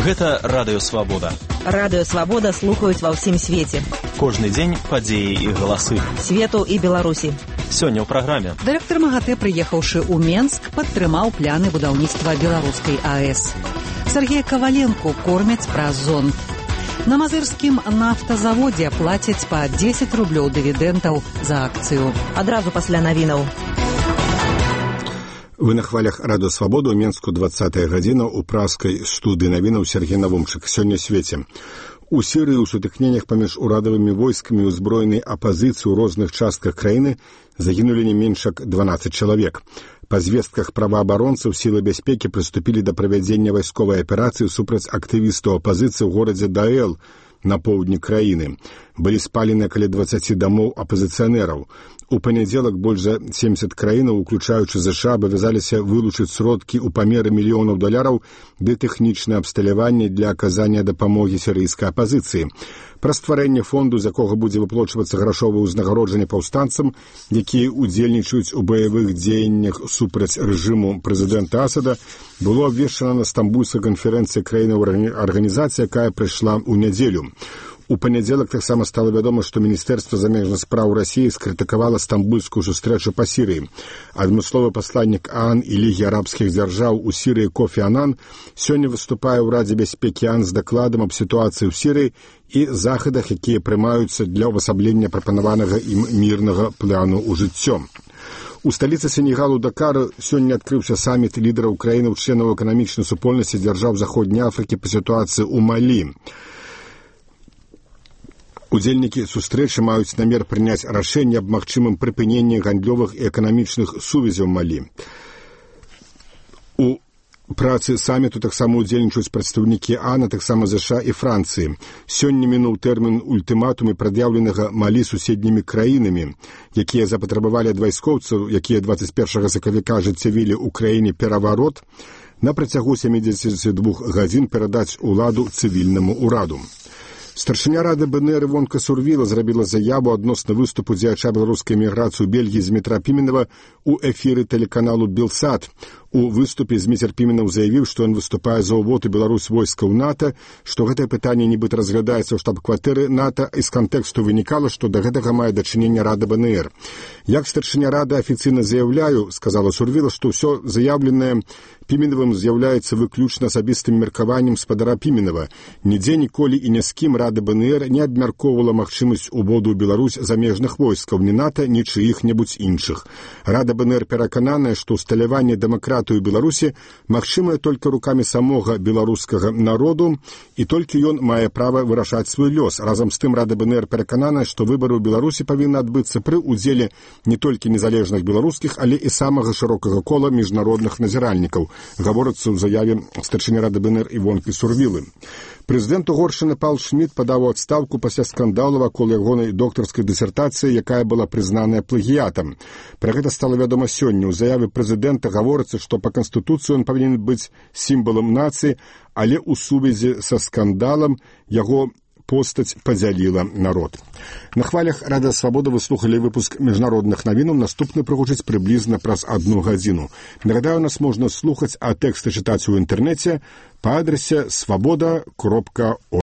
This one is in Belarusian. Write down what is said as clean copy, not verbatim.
Гэта Радыё Свабода. Радыё Свабода слухаюць ва ўсім свеце. Кожны дзень падзеі і галасы Свету і Беларусі. Сёння ў праграме. Дырэктар МАГАТЭ, прыехаўшы ў Менск, падтрымаў пляны будаўніцтва беларускай АЭС. Сергея Коваленко кормяць праз зонд. На мазырскім нафтазаводзе плацяць па 10 рублёў дывідэнтаў за акцыю. Адразу пасля навінаў. Вы на хвалях Радыё Свабода, у Менску 20-я гадзіна, у праскай студыі навінаў Сергей Навумчык. Сёння свеце. У Сірыі ў сутыкненнях паміж урадавымі войскамі і узброенай апазіцыі ў розных частках краіны загінулі не менш як 12 чалавек. Па звестках праваабаронцаў сілы бяспекі прыступілі да правядзення вайсковай аперацыі супраць актывістаў апазіцыі ў горадзе Даэл на поўдні краіны. Былі спалены каля 20 дамоў апазіцыянераў. У панядзелак больш за 70 краінаў, уключаючы ЗША, абавязаліся вылучыць сродкі ў памеры мільёнаў долараў ды тэхнічнае абсталяванне для аказання дапамогі сірыйскай апазіцыі. Пра стварэнне фонду, з якога будзе выплачвацца грашовае ўзнагароджанне паўстанцам, якія ўдзельнічаюць у баявых дзеяннях супраць рэжыму прэзідэнта Асада, было абвешчана на стамбульскай канферэнцыі краінаў арганізацыі, якая прыйшла ў нядзелю. У панядзелак таксама стала вядома, што Міністэрства замежных спраў Расіі скрытыкавала стамбульскую сустрэчу па Сірыі. Адмысловы пасланнік ААН і Лігі арабскіх дзяржаў у Сірыі Кофі Анан сёння выступае ў Радзе бяспекі ААН з дакладам аб сітуацыі ў Сірыі і захадах, якія прымаюцца для ўвасаблення прапанаванага ім мірнага плану ў жыццё. У сталіцы Сенегалу Дакар сёння адкрыўся саміт лідараў краінаў-членаў эканамічнай супольнасці дзяржаў Заходняй Афрыкі па сітуацыі ў Малі. Удзельнікі сустрэчы маюць намер прыняць рашэнне аб магчымым прыпыненні гандлёвых і эканамічных сувязяў Малі. У працы саміту таксама удзельнічаюць прадстаўнікі ААН, таксама ЗША і Францыі. Сёння мінуў тэрмін ультыматумы, прад'яўленага Малі суседнімі краінамі, якія запатрабавалі ад вайскоўцаў, якія 21 сакавіка ажыццявілі ў краіне пераварот, на працягу 72 гадзін перадаць уладу цывільнаму ўраду. Старшыня Рады БНР Івонка Сурвіла зрабіла заяву адносна выступу дзеяча беларускай эміграцыі ў Бельгіі Змітра Піменава ў эфіры тэлеканалу Белсат. У выступе Зміцер Піменаў заявіў, што ён выступае за ўвод у Беларусь войскаў НАТО, што гэтае пытанне нібыта разглядаецца ў штаб-кватэры НАТО, і з кантэксту вынікала, што да гэтага мае дачыненне Рада БНР. Як старшыня Рады афіцыйна заяўляю, сказала Сурвіла, што ўсё заявленае Піменавым з'яўляецца выключна асабістым меркаваннем спадара Піменава. Нідзе ніколі і ні з кім Рада БНР не абмяркоўвала магчымасць уводу ў Беларусь замежных войскаў, ні НАТО, ні чыіх-небудзь іншых. Рада БНР перакананая, што ўсталяванне дэмакратыі ў Беларусі магчымае толькі рукамі самога беларускага народу, і толькі ён мае права вырашаць свой лёс. Разам з тым Рада БНР перакананая, што выбары ў Беларусі павінны адбыцца пры ўдзеле не толькі незалежных беларускіх, але і самага шырокага кола міжнародных назіральнікаў, гаворыцца ў заяве старшыні Рады БНР Івонкі Сурвілы. Прэзідэнт Угоршчыны Пал Шміт падаў у адстаўку пасля скандалу вакол ягонай доктарскай дысертацыі, якая была прызнаная плагіятам. Пра гэта стала вядома сёння. У заяве прэзідэнта гаворыцца, што па канстытуцыі ён павінен быць сімвалам нацыі, але ў сувязі са скандалам яго постаць падзяліла народ. На хвалях Радыё Свабода вы слухалі выпуск міжнародных навінаў. Наступны прагучыць прыблізна праз 1 гадзіну. Нагадаю, нас можна слухаць, а тэксты чытаць у інтэрнэце па адрасе swaboda.org.